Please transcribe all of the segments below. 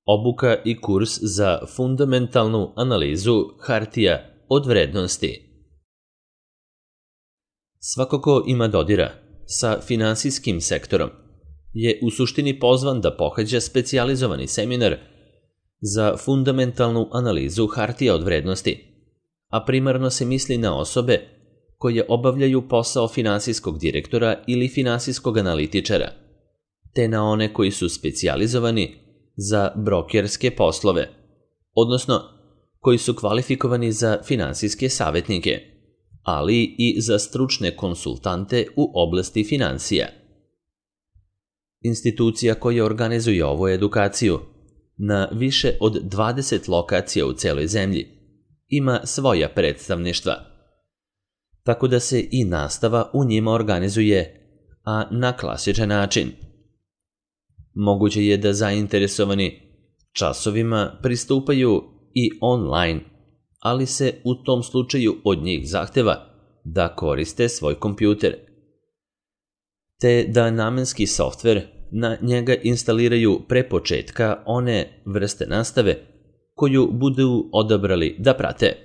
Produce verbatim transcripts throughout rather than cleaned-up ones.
Obuka i kurs za fundamentalnu analizu hartija od vrednosti. Svako ko ima dodira sa finansijskim sektorom je u suštini pozvan da pohađa specijalizovani seminar za fundamentalnu analizu hartija od vrednosti, a primarno se misli na osobe koje obavljaju posao finansijskog direktora ili finansijskog analitičara, te na one koji su specijalizovani za brokerske poslove, odnosno koji su kvalifikovani za finansijske savjetnike, ali i za stručne konsultante u oblasti finansija. Institucija koja organizuje ovu edukaciju na više od dvadeset lokacija u celoj zemlji ima svoja predstavništva, tako da se i nastava u njima organizuje, a na klasičan način. Moguće je da zainteresovani časovima pristupaju i online, ali se u tom slučaju od njih zahteva da koriste svoj kompjuter, te da namenski softver na njega instaliraju pre početka one vrste nastave koju budu odabrali da prate.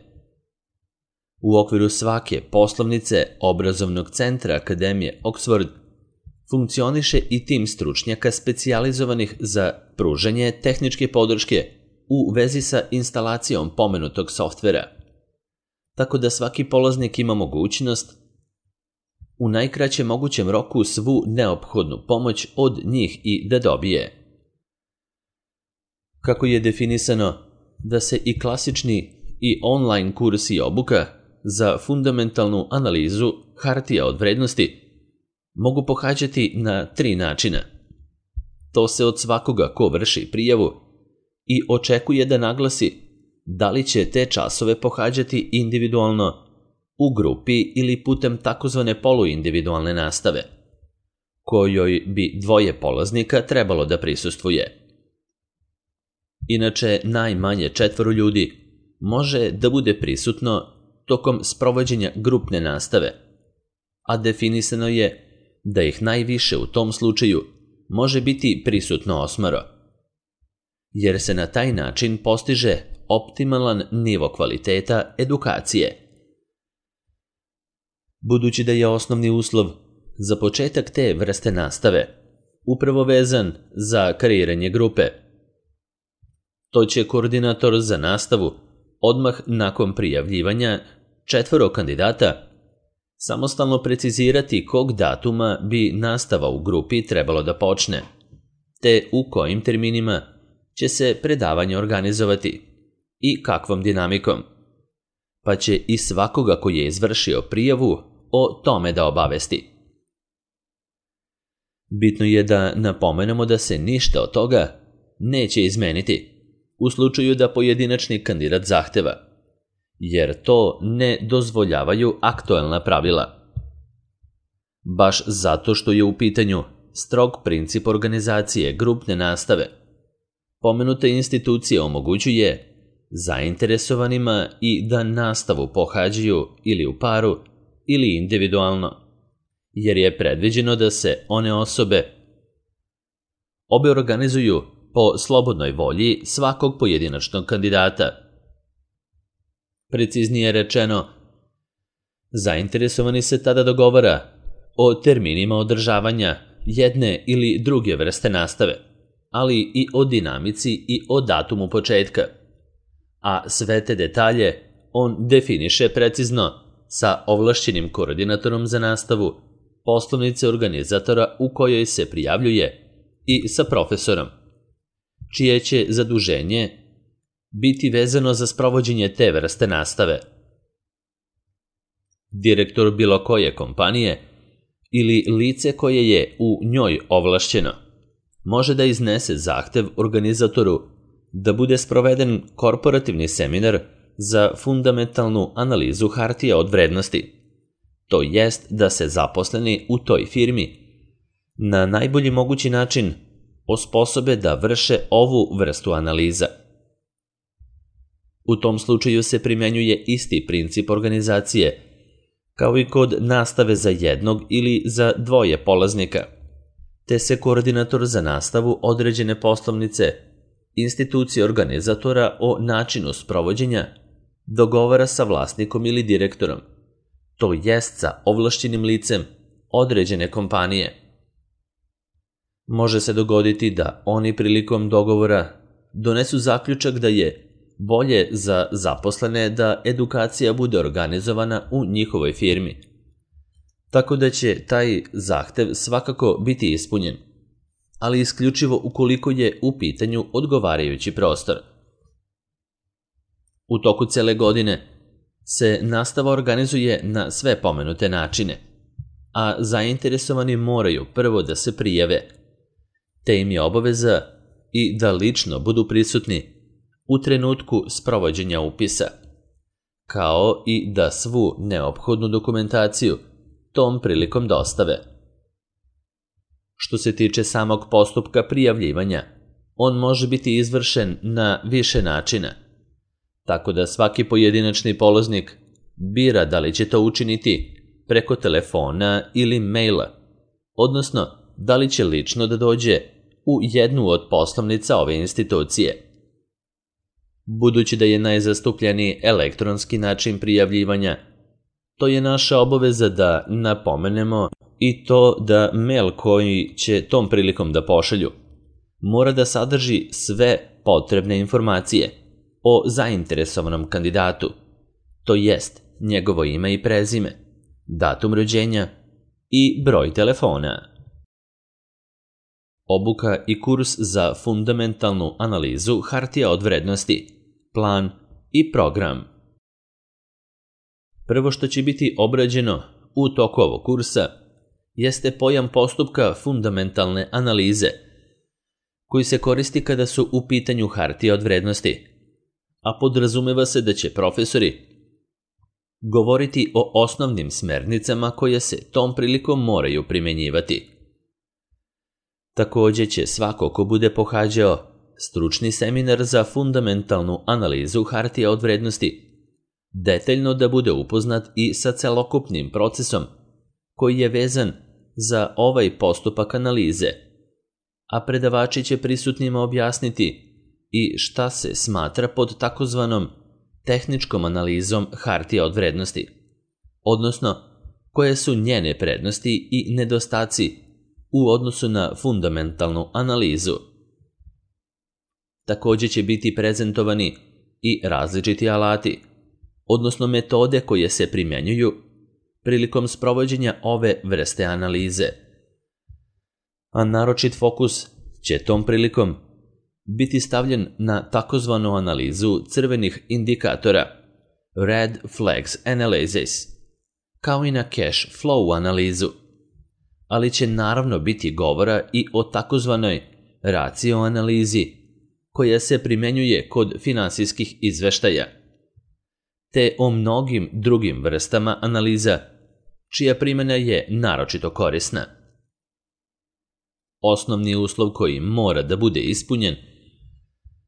U okviru svake poslovnice obrazovnog centra Akademije Oxford funkcioniše i tim stručnjaka specijalizovanih za pružanje tehničke podrške u vezi sa instalacijom pomenutog softvera, tako da svaki polaznik ima mogućnost u najkraćem mogućem roku svu neophodnu pomoć od njih i da dobije. Kako je definisano da se i klasični i online kurs i obuka za fundamentalnu analizu hartija od vrednosti mogu pohađati na tri načina. To se od svakoga ko vrši prijavu i očekuje da naglasi da li će te časove pohađati individualno, u grupi ili putem takozvane poluindividualne nastave, kojoj bi dvoje polaznika trebalo da prisustvuje. Inače, najmanje četvoro ljudi može da bude prisutno tokom sprovođenja grupne nastave, a definisano je da ih najviše u tom slučaju može biti prisutno osmoro, jer se na taj način postiže optimalan nivo kvaliteta edukacije. Budući da je osnovni uslov za početak te vrste nastave upravo vezan za kreiranje grupe, to će koordinator za nastavu odmah nakon prijavljivanja četvoro kandidata samostalno precizirati kog datuma bi nastava u grupi trebalo da počne, te u kojim terminima će se predavanje organizovati i kakvom dinamikom, pa će i svakoga koji je izvršio prijavu o tome da obavesti. Bitno je da napomenemo da se ništa od toga neće izmeniti u slučaju da pojedinačni kandidat zahteva, jer to ne dozvoljavaju aktuelna pravila. Baš zato što je u pitanju strog princip organizacije grupne nastave, pomenuta institucija omogućuje zainteresovanima i da nastavu pohađaju ili u paru ili individualno, jer je predviđeno da se one osobe obe organizuju po slobodnoj volji svakog pojedinačnog kandidata. Preciznije rečeno, zainteresovani se tada dogovara o terminima održavanja jedne ili druge vrste nastave, ali i o dinamici i o datumu početka, a sve te detalje on definiše precizno sa ovlašćenim koordinatorom za nastavu poslovnice organizatora u kojoj se prijavljuje i sa profesorom, čije će zaduženje biti vezano za sprovođenje te vrste nastave. Direktor bilo koje kompanije ili lice koje je u njoj ovlašćeno može da iznese zahtev organizatoru da bude sproveden korporativni seminar za fundamentalnu analizu hartija od vrednosti, to jest da se zaposleni u toj firmi na najbolji mogući način osposobe da vrše ovu vrstu analiza. U tom slučaju se primenjuje isti princip organizacije kao i kod nastave za jednog ili za dvoje polaznika, te se koordinator za nastavu određene poslovnice institucija organizatora o načinu sprovođenja dogovara sa vlasnikom ili direktorom, to jest sa ovlašćenim licem određene kompanije. Može se dogoditi da oni prilikom dogovora donesu zaključak da je bolje za zaposlene da edukacija bude organizovana u njihovoj firmi, tako da će taj zahtev svakako biti ispunjen, ali isključivo ukoliko je u pitanju odgovarajući prostor. U toku cele godine se nastava organizuje na sve pomenute načine, a zainteresovani moraju prvo da se prijave, te im je obaveza i da lično budu prisutni u trenutku sprovođenja upisa, kao i da svu neophodnu dokumentaciju tom prilikom dostave. Što se tiče samog postupka prijavljivanja, on može biti izvršen na više načina, tako da svaki pojedinačni polaznik bira da li će to učiniti preko telefona ili maila, odnosno da li će lično da dođe u jednu od poslovnica ove institucije. Budući da je najzastupljeniji elektronski način prijavljivanja, to je naša obaveza da napomenemo i to da mail koji će tom prilikom da pošalju mora da sadrži sve potrebne informacije o zainteresovanom kandidatu, to jest njegovo ime i prezime, datum rođenja i broj telefona. Obuka i kurs za fundamentalnu analizu hartija od vrednosti, plan i program. Prvo što će biti obrađeno u toku ovog kursa jeste pojam postupka fundamentalne analize, koji se koristi kada su u pitanju hartije od vrednosti, a podrazumeva se da će profesori govoriti o osnovnim smernicama koje se tom prilikom moraju primenjivati. Takođe će svako ko bude pohađao stručni seminar za fundamentalnu analizu hartija od vrednosti detaljno da bude upoznat i sa celokupnim procesom koji je vezan za ovaj postupak analize, a predavači će prisutnima objasniti i šta se smatra pod takozvanom tehničkom analizom hartija od vrednosti, odnosno koje su njene prednosti i nedostaci u odnosu na fundamentalnu analizu. Takođe će biti prezentovani i različiti alati, odnosno metode koje se primjenjuju prilikom sprovođenja ove vrste analize. A naročit fokus će tom prilikom biti stavljen na takozvanu analizu crvenih indikatora, Red Flags Analysis, kao i na cash flow analizu, ali će naravno biti govora i o takozvanoj ratio analizi, koja se primenjuje kod finansijskih izveštaja, te o mnogim drugim vrstama analiza, čija primjena je naročito korisna. Osnovni uslov koji mora da bude ispunjen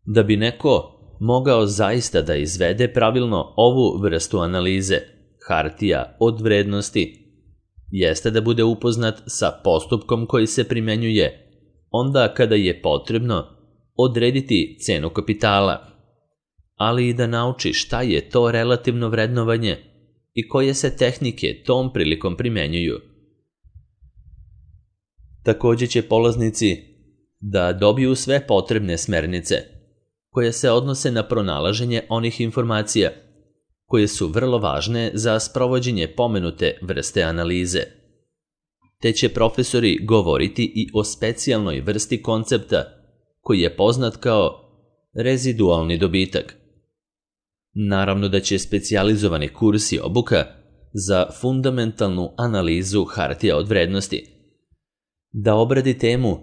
da bi neko mogao zaista da izvede pravilno ovu vrstu analize hartija od vrednosti jeste da bude upoznat sa postupkom koji se primenjuje onda kada je potrebno odrediti cenu kapitala, ali i da nauči šta je to relativno vrednovanje i koje se tehnike tom prilikom primenjuju. Takođe će polaznici da dobiju sve potrebne smernice koje se odnose na pronalaženje onih informacija koje su vrlo važne za sprovođenje pomenute vrste analize. Te će profesori govoriti i o specijalnoj vrsti koncepta koji je poznat kao rezidualni dobitak. Naravno da će specijalizovani kurs i obuka za fundamentalnu analizu hartija od vrednosti da obradi temu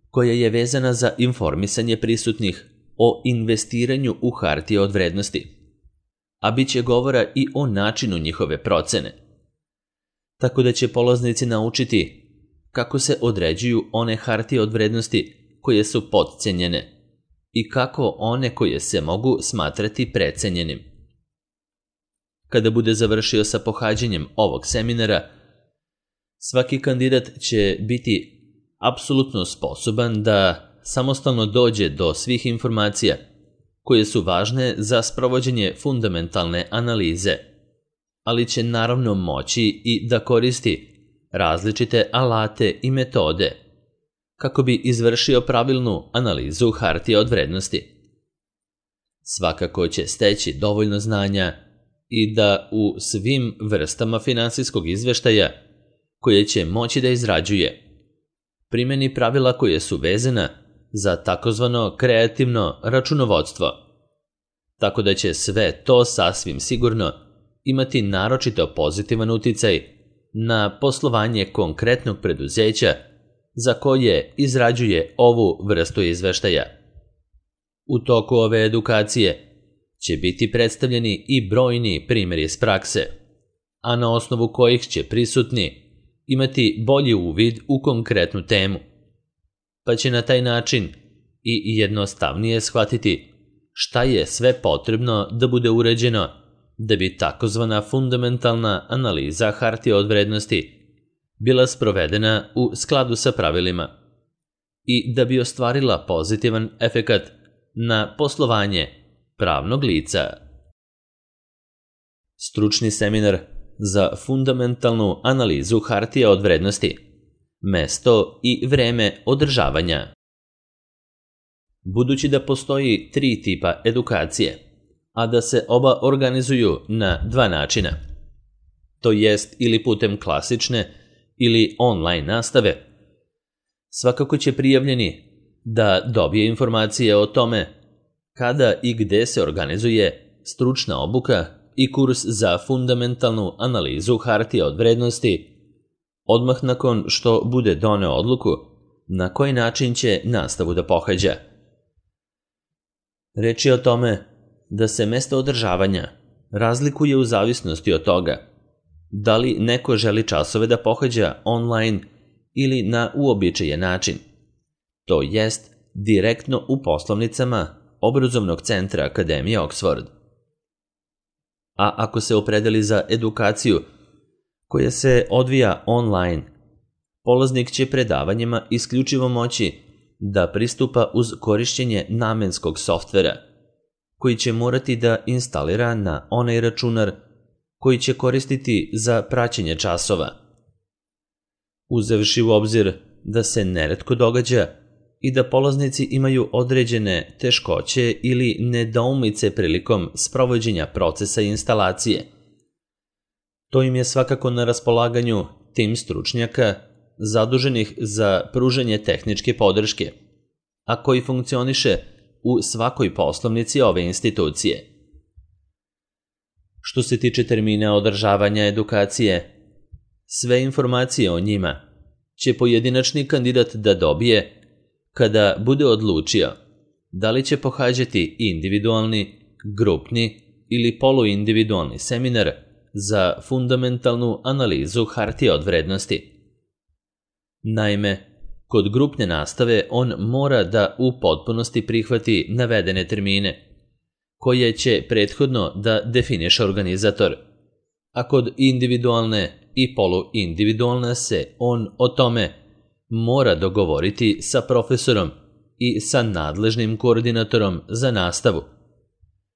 koja je vezana za informisanje prisutnih o investiranju u hartije od vrednosti, a bit će govora i o načinu njihove procene. Tako da će polaznici naučiti kako se određuju one hartije od vrednosti koje su potcenjene i kako one koje se mogu smatrati precenjenim. Kada bude završio sa pohađanjem ovog seminara, svaki kandidat će biti apsolutno sposoban da samostalno dođe do svih informacija koje su važne za sprovođenje fundamentalne analize, ali će naravno moći i da koristi različite alate i metode kako bi izvršio pravilnu analizu hartija od vrednosti. Svakako će steći dovoljno znanja i da u svim vrstama finansijskog izveštaja koje će moći da izrađuje primjeni pravila koje su vezana za takozvano kreativno računovodstvo, tako da će sve to sasvim sigurno imati naročito pozitivan uticaj na poslovanje konkretnog preduzeća za koje izrađuje ovu vrstu izveštaja. U toku ove edukacije će biti predstavljeni i brojni primjeri iz prakse, a na osnovu kojih će prisutni imati bolji uvid u konkretnu temu, pa će na taj način i jednostavnije shvatiti šta je sve potrebno da bude urađeno da bi takozvana fundamentalna analiza hartija od vrednosti bila sprovedena u skladu sa pravilima i da bi ostvarila pozitivan efekat na poslovanje pravnog lica. Stručni seminar za fundamentalnu analizu hartija od vrednosti. Mesto i vreme održavanja. Budući da postoji tri tipa edukacije, a da se oba organizuju na dva načina, to jest ili putem klasične ili online nastave, svakako će prijavljeni da dobije informacije o tome kada i gde se organizuje stručna obuka i kurs za fundamentalnu analizu hartija od vrednosti odmah nakon što bude doneo odluku na koji način će nastavu da pohađa. Reč je o tome da se mesto održavanja razlikuje u zavisnosti od toga da li neko želi časove da pohađa online ili na uobičajen način, to jest direktno u poslovnicama obrazovnog centra Akademije Oxford. A ako se opredeli za edukaciju koja se odvija online, polaznik će predavanjima isključivo moći da pristupa uz korišćenje namenskog softvera, koji će morati da instalira na onaj računar koji će koristiti za praćenje časova. Uzevši u obzir da se neretko događa i da polaznici imaju određene teškoće ili nedoumice prilikom sprovođenja procesa instalacije, to im je svakako na raspolaganju tim stručnjaka zaduženih za pružanje tehničke podrške, a koji funkcioniše u svakoj poslovnici ove institucije. Što se tiče termina održavanja edukacije, sve informacije o njima će pojedinačni kandidat da dobije kada bude odlučio da li će pohađati individualni, grupni ili poluindividualni seminar za fundamentalnu analizu hartija od vrednosti. Naime, kod grupne nastave on mora da u potpunosti prihvati navedene termine, koje će prethodno da definiše organizator, a kod individualne i poluindividualne se on o tome mora dogovoriti sa profesorom i sa nadležnim koordinatorom za nastavu,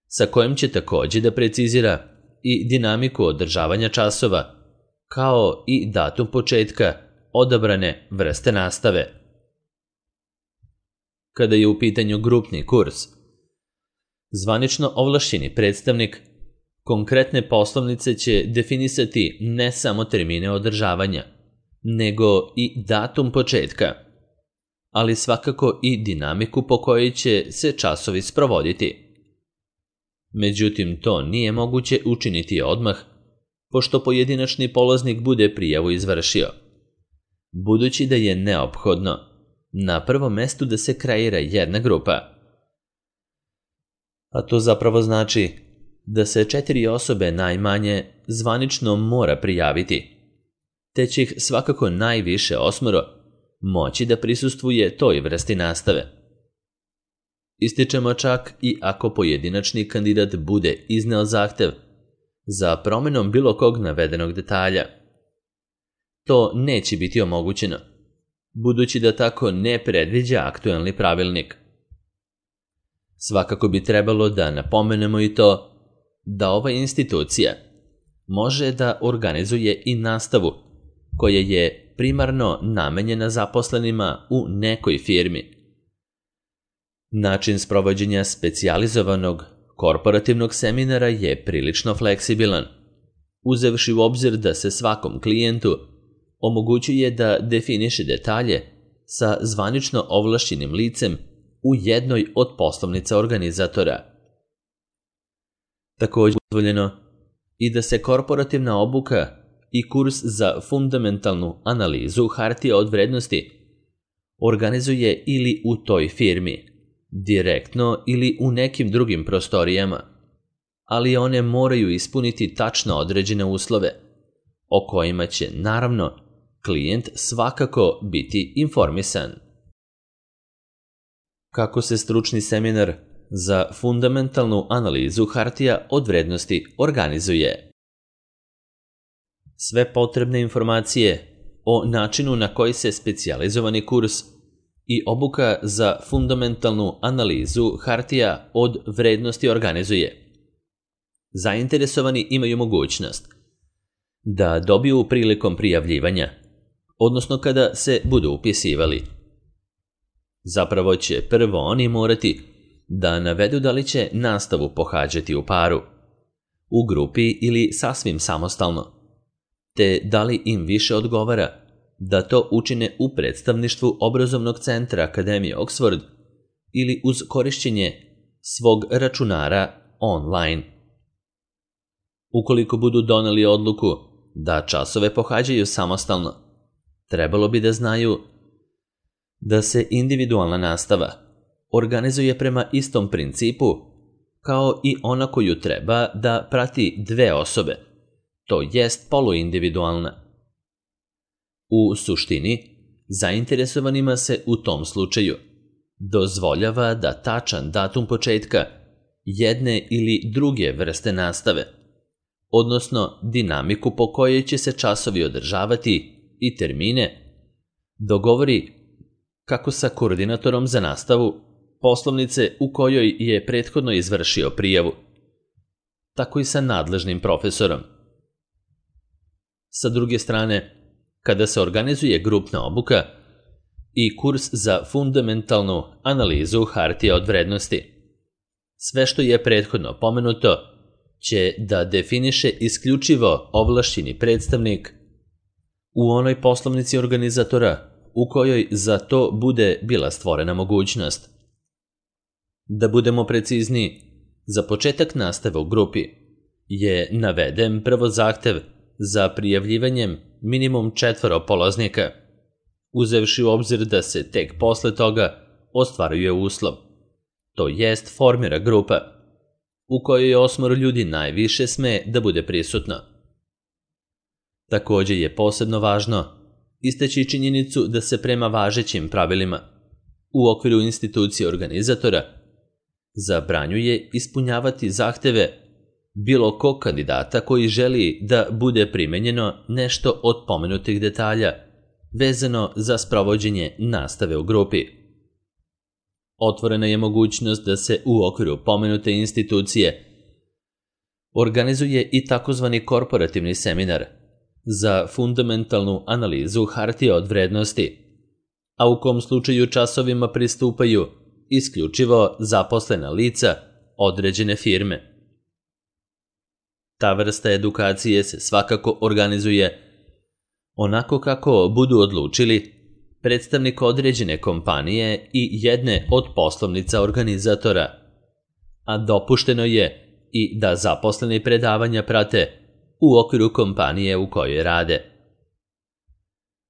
sa kojim će također da precizira i dinamiku održavanja časova, kao i datum početka odabrane vrste nastave. Kada je u pitanju grupni kurs, zvanično ovlašćeni predstavnik konkretne poslovnice će definisati ne samo termine održavanja, nego i datum početka, ali svakako i dinamiku po kojoj će se časovi sprovoditi. Međutim, to nije moguće učiniti odmah, pošto pojedinačni polaznik bude prijavu izvršio, budući da je neophodno na prvom mestu da se kreira jedna grupa. A to zapravo znači da se četiri osobe najmanje zvanično mora prijaviti, te će ih svakako najviše osmoro moći da prisustvuje toj vrsti nastave. Ističemo čak i ako pojedinačni kandidat bude izneo zahtev za promjenom bilo kog navedenog detalja. To neće biti omogućeno, budući da tako ne predviđa aktuelni pravilnik. Svakako bi trebalo da napomenemo i to da ova institucija može da organizuje i nastavu koja je primarno namenjena zaposlenima u nekoj firmi. Način sprovođenja specijalizovanog korporativnog seminara je prilično fleksibilan, uzevši u obzir da se svakom klijentu omogućuje da definiše detalje sa zvanično ovlašćenim licem u jednoj od poslovnica organizatora. Također je dozvoljeno i da se korporativna obuka i kurs za fundamentalnu analizu hartija od vrednosti organizuje ili u toj firmi, direktno ili u nekim drugim prostorijama, ali one moraju ispuniti tačno određene uslove, o kojima će, naravno, klijent svakako biti informisan. Kako se stručni seminar za fundamentalnu analizu hartija od vrednosti organizuje? Sve potrebne informacije o načinu na koji se specijalizovani kurs i obuka za fundamentalnu analizu hartija od vrednosti organizuje. Zainteresovani imaju mogućnost da dobiju prilikom prijavljivanja, odnosno kada se budu upisivali. Zapravo će prvo oni morati da navedu da li će nastavu pohađati u paru, u grupi ili sasvim samostalno, te da li im više odgovara da to učine u predstavništvu obrazovnog centra Akademije Oxford ili uz korišćenje svog računara online. Ukoliko budu doneli odluku da časove pohađaju samostalno, trebalo bi da znaju da se individualna nastava organizuje prema istom principu kao i ona koju treba da prati dve osobe, to jest poluindividualna. U suštini, zainteresovanima se u tom slučaju dozvoljava da tačan datum početka jedne ili druge vrste nastave, odnosno dinamiku po kojoj će se časovi održavati i termine, dogovori kako sa koordinatorom za nastavu poslovnice u kojoj je prethodno izvršio prijavu, tako i sa nadležnim profesorom. Sa druge strane, kada se organizuje grupna obuka i kurs za fundamentalnu analizu hartija od vrednosti, sve što je prethodno pomenuto će da definiše isključivo ovlašćeni predstavnik u onoj poslovnici organizatora u kojoj za to bude bila stvorena mogućnost. Da budemo precizniji, za početak nastave u grupi je naveden prvo zahtev za prijavljivanjem minimum četvoro polaznika, uzevši u obzir da se tek posle toga ostvaruje uslov, to jest formira grupa, u kojoj osmoro ljudi najviše sme da bude prisutno. Također je posebno važno istaći činjenicu da se prema važećim pravilima u okviru institucije organizatora zabranjuje ispunjavati zahteve bilo kog kandidata koji želi da bude primenjeno nešto od pomenutih detalja vezano za sprovođenje nastave u grupi. Otvorena je mogućnost da se u okviru pomenute institucije organizuje i takozvani korporativni seminar za fundamentalnu analizu hartija od vrednosti, a u kom slučaju časovima pristupaju isključivo zaposlena lica određene firme. Ta vrsta edukacije se svakako organizuje onako kako budu odlučili predstavnik određene kompanije i jedne od poslovnica organizatora, a dopušteno je i da zaposleni predavanja prate u okviru kompanije u kojoj rade.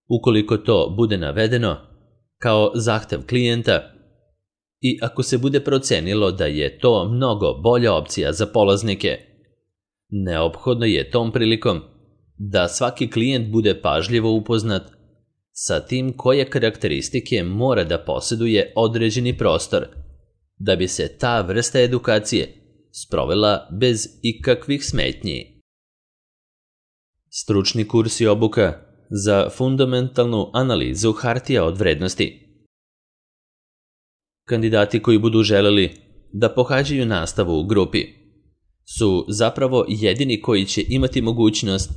Ukoliko to bude navedeno kao zahtev klijenta i ako se bude procenilo da je to mnogo bolja opcija za polaznike, neophodno je tom prilikom da svaki klijent bude pažljivo upoznat sa tim koje karakteristike mora da posjeduje određeni prostor, da bi se ta vrsta edukacije sprovela bez ikakvih smetnji. Stručni kurs i obuka za fundamentalnu analizu hartija od vrednosti. Kandidati koji budu želeli da pohađaju nastavu u grupi su zapravo jedini koji će imati mogućnost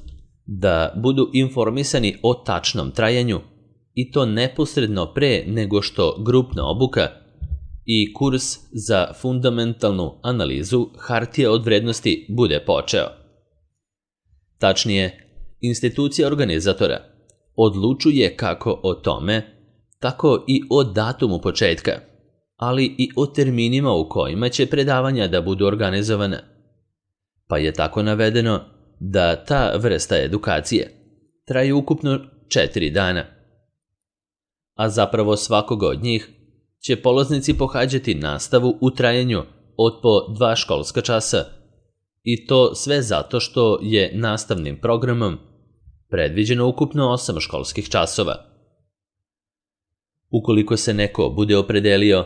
da budu informisani o tačnom trajanju i to neposredno pre nego što grupna obuka i kurs za fundamentalnu analizu hartija od vrednosti bude počeo. Tačnije, institucija organizatora odlučuje kako o tome, tako i o datumu početka, ali i o terminima u kojima će predavanja da budu organizovana. Pa je tako navedeno da ta vrsta edukacije traje ukupno četiri dana. A zapravo svakoga od njih će polaznici pohađati nastavu u trajanju od po dva školska časa i to sve zato što je nastavnim programom predviđeno ukupno osam školskih časova. Ukoliko se neko bude opredelio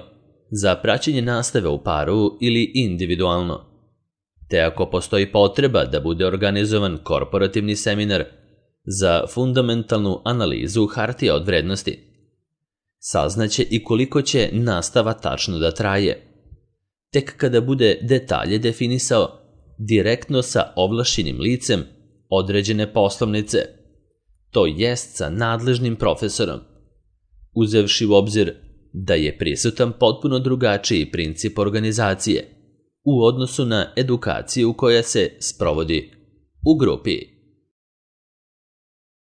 za praćenje nastave u paru ili individualno, te ako postoji potreba da bude organizovan korporativni seminar za fundamentalnu analizu hartija od vrednosti, saznaće i koliko će nastava tačno da traje, tek kada bude detalje definisao direktno sa ovlašćenim licem određene poslovnice, to jest sa nadležnim profesorom, uzevši u obzir da je prisutan potpuno drugačiji princip organizacije u odnosu na edukaciju koja se sprovodi u grupi.